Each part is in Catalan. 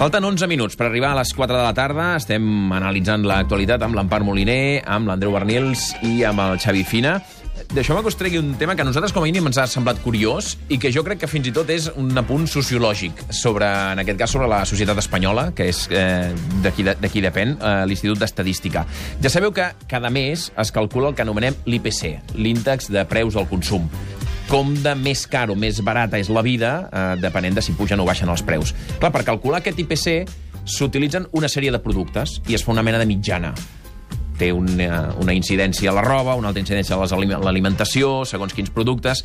Falten 11 minuts per arribar a les 4 de la tarda. Estem analitzant l'actualitat amb l'Empar Moliner, amb l'Andreu Bernils i amb el Xavi Fina. Deixeu-me que us tregui un tema que a nosaltres com a mínim ens ha semblat curiós i que jo crec que fins i tot és un apunt sociològic sobre, en aquest cas, sobre la societat espanyola, que és d'aquí depèn, l'Institut d'Estadística. Ja sabeu que cada mes es calcula el que anomenem l'IPC, l'índex de preus al consum. Com de més car o més barata és la vida, depenent de si pugen o baixen els preus. Clar, per calcular aquest IPC s'utilitzen una sèrie de productes i es fa una mena de mitjana. Té una incidència a la roba, una altra incidència a l'alimentació, segons quins productes.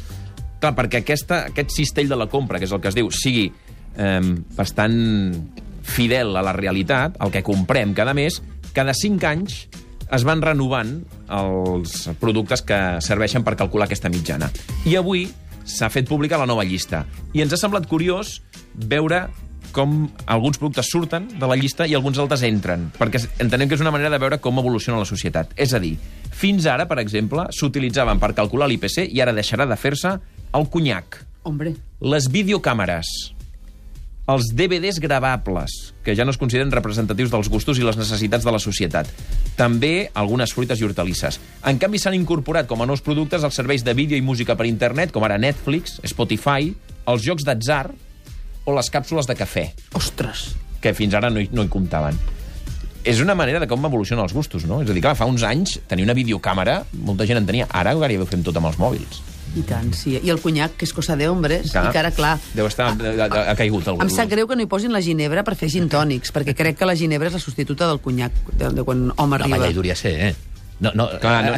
Clar, perquè aquest cistell de la compra, que és el que es diu, sigui bastant fidel a la realitat, el que comprem cada mes, cada 5 anys es van renovant els productes que serveixen per calcular aquesta mitjana. I avui s'ha fet pública la nova llista. I ens ha semblat curiós veure com alguns productes surten de la llista i alguns altres entren, perquè entenem que és una manera de veure com evoluciona la societat. És a dir, fins ara, per exemple, s'utilitzaven per calcular l'IPC i ara deixarà de fer-se el conyac, les videocàmeres, els DVDs gravables, que ja no es consideren representatius dels gustos i les necessitats de la societat. També algunes fruites i hortalisses. En canvi, s'han incorporat com a nous productes els serveis de vídeo i música per internet, com ara Netflix, Spotify, els jocs d'atzar o les càpsules de cafè. Ostres! Que fins ara no hi comptaven. És una manera de com evolucionen els gustos, no? És a dir, clar, fa uns anys tenir una videocàmera, molta gent en tenia. Ara gairebé ho fem tot amb els mòbils. I tant, sí. I el conyac, que és cosa de hombres, i que ara, clar... Deu estar... ha caigut algú. Em sap greu que no hi posin la ginebra per fer gin tònics, perquè crec que la ginebra és la substituta del conyac, de quan home arriba. La majoria sé, No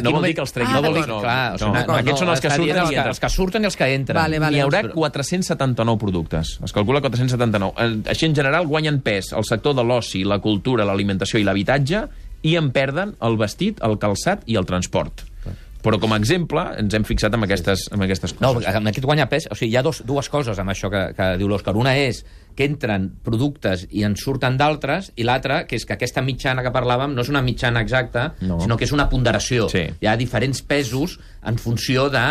vol dir que els treguin. Aquests són els que surten. Els que surten i els que entren. N'hi haurà 479 productes. Es calcula 479. Així, en general, guanyen pes el sector de l'oci, la cultura, l'alimentació i l'habitatge, i en perden el vestit, el calçat i el transport. Però, com a exemple, ens hem fixat en aquestes coses. No, en aquest guanya pes... O sigui, hi ha dues coses amb això que diu l'Òscar. Una és que entren productes i en surten d'altres, i l'altra, que és que aquesta mitjana que parlàvem no és una mitjana exacta, sinó que és una ponderació. Sí. Hi ha diferents pesos en funció de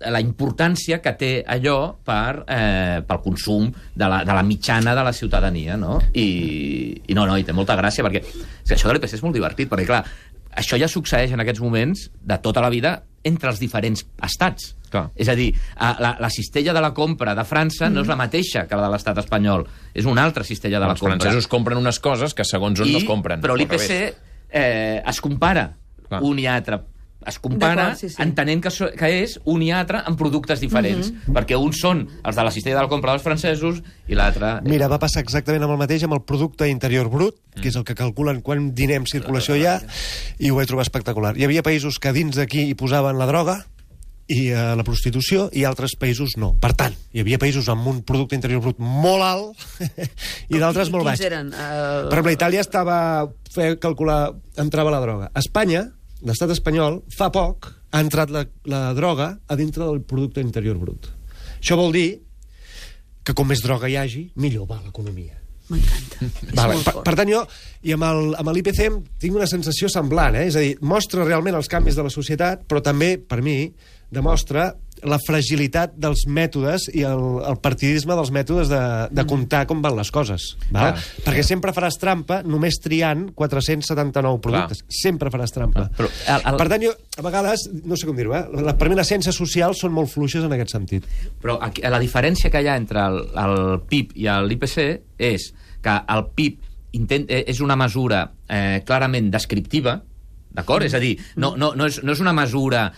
la importància que té allò pel consum de la mitjana de la ciutadania, no? I té molta gràcia, perquè això de l'IPC és molt divertit, perquè, clar, això ja succeeix en aquests moments de tota la vida entre els diferents estats. Clar. És a dir, la cistella de la compra de França no és la mateixa que la de l'estat espanyol. És una altra cistella de la compra. Els francesos compren unes coses que segons on no es compren. Però l'IPC es compara un i altre. Es compara entenent que és un i altre en productes diferents, perquè uns són els de la cistella de la compra dels francesos i l'altre... Mira, va passar exactament amb el mateix amb el producte interior brut, que és el que calculen quan dinem circulació hi ha, i ho vaig trobar espectacular. Hi havia països que dins d'aquí hi posaven la droga i la prostitució, i altres països no. Per tant, hi havia països amb un producte interior brut molt alt i d'altres molt baix. Per exemple, Itàlia entrava la droga. Espanya, l'estat espanyol, fa poc, ha entrat la droga a dintre del producte interior brut. Això vol dir que com més droga hi hagi, millor va l'economia. M'encanta. Per tant, jo, i amb l'IPC tinc una sensació semblant, és a dir, mostra realment els canvis de la societat, però també, per mi, demostra la fragilitat dels mètodes i el partidisme dels mètodes de comptar com van les coses. Perquè sempre faràs trampa només triant 479 productes. Sempre faràs trampa. Per tant, jo, a vegades, no sé com dir-ho, per mi les ciències socials són molt fluixes en aquest sentit. Però la diferència que hi ha entre el PIB i l'IPC és que el PIB és una mesura clarament descriptiva, d'acord? És a dir, no és una mesura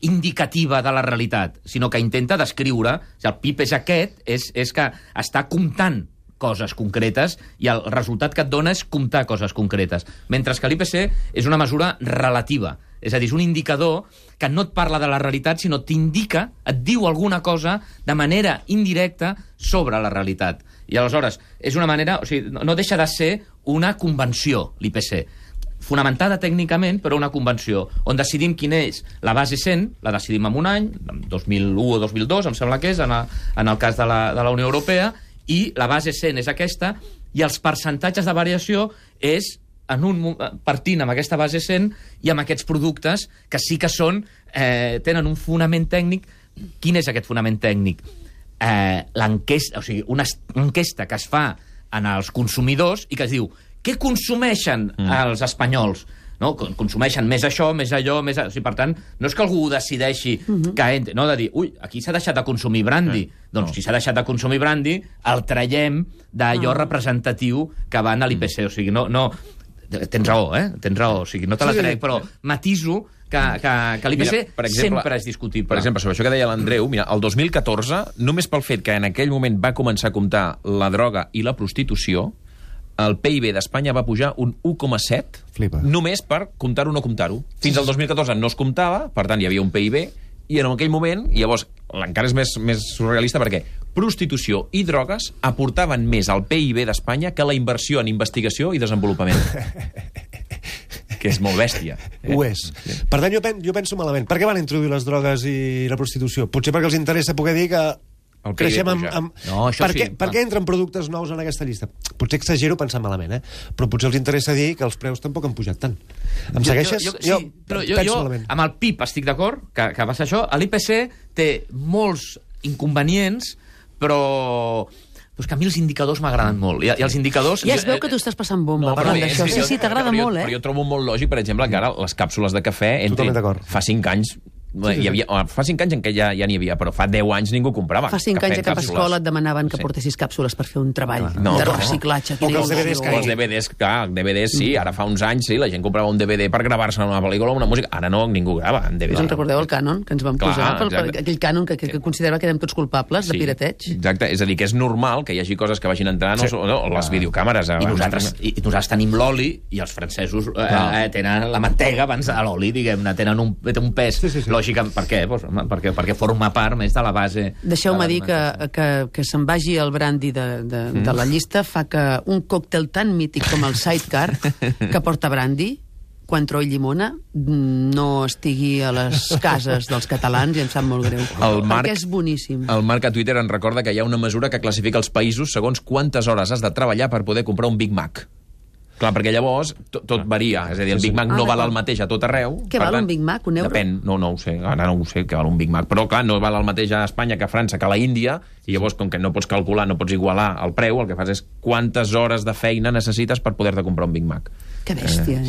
indicativa de la realitat, sinó que intenta descriure, el PIB és aquest, és que està comptant coses concretes i el resultat que et dona és comptar coses concretes. Mentre que l'IPC és una mesura relativa, és a dir, és un indicador que no et parla de la realitat, sinó t'indica, et diu alguna cosa de manera indirecta sobre la realitat. I aleshores, és una manera, o sigui, no deixa de ser una convenció, l'IPC, fonamentada tècnicament, però una convenció, on decidim quina és la base 100, la decidim en un any, 2001 o 2002, em sembla que és, en el cas de la Unió Europea, i la base 100 és aquesta, i els percentatges de variació és partint amb aquesta base 100 i amb aquests productes que sí que tenen un fonament tècnic. Quin és aquest fonament tècnic? L'enquesta, o sigui, una enquesta que es fa en els consumidors i que es diu què consumeixen els espanyols? No? Consumeixen més això, més allò, més... O sigui, per tant, no és que algú decideixi que entre, no? De dir, ui, aquí s'ha deixat de consumir brandy. Doncs si s'ha deixat de consumir brandy, el traiem d'allò representatiu que van a l'IPC. O sigui, no... Tens raó, Tens raó. O sigui, no te la trec, però matiso que l'IPC sempre és discutible. Per exemple, sobre això que deia l'Andreu, mira, el 2014, només pel fet que en aquell moment va començar a comptar la droga i la prostitució, el PIB d'Espanya va pujar un 1,7 només per comptar-ho o no comptar-ho. Fins al 2014 no es comptava, per tant hi havia un PIB, i en aquell moment, i llavors encara és més surrealista perquè prostitució i drogues aportaven més al PIB d'Espanya que la inversió en investigació i desenvolupament. Que és molt bèstia. Ho és. Per tant, jo penso malament. Per què van introduir les drogues i la prostitució? Potser perquè els interessa poder dir que creixem amb... No, per què entren productes nous en aquesta llista? Potser exagero pensant malament, però potser els interessa dir que els preus tampoc han pujat tant. Em segueixes? Jo amb el PIB estic d'acord, que va ser això. L'IPC té molts inconvenients, però és que a mi els indicadors m'agraden molt. I els indicadors... Ja es veu que tu estàs passant bomba parlant d'això. Sí, t'agrada molt, Però jo trobo molt lògic, per exemple, que ara les càpsules de cafè fa 5 anys... Fa 5 anys en què ja n'hi havia, però fa 10 anys ningú comprava. Fa 5 anys a cap escola et demanaven que portessis càpsules per fer un treball de reciclatge. O que els DVDs Els DVDs, clar, DVDs sí, ara fa uns anys sí, la gent comprava un DVD per gravar-se una pel·lícula o una música, ara no, ningú grava en DVD. Us en recordeu el cànon que ens vam posar? Aquell cànon que considerava que érem tots culpables de pirateig? Exacte, és a dir, que és normal que hi hagi coses que vagin entrant o les videocàmeres. I nosaltres tenim l'oli i els francesos tenen la mantega abans de l'oli, diguem-ne, tenen un pes lògic. Per què? Perquè forma part més de la base. Deixeu-me dir que se'n vagi el brandy de la llista fa que un còctel tan mític com el Sidecar, que porta brandy, Cointreau i llimona, no estigui a les cases dels catalans i em sap molt greu. Perquè és boníssim. El Marc a Twitter ens recorda que hi ha una mesura que classifica els països segons quantes hores has de treballar per poder comprar un Big Mac. Clar, perquè llavors tot varia. És a dir, el Big Mac no val el mateix a tot arreu. Què val un Big Mac? Un euro? Depèn, no ho sé. Ara no ho sé què val un Big Mac. Però, clar, no val el mateix a Espanya que a França que a la Índia, i llavors, com que no pots calcular, no pots igualar el preu, el que fas és quantes hores de feina necessites per poder-te comprar un Big Mac. Que bèstia,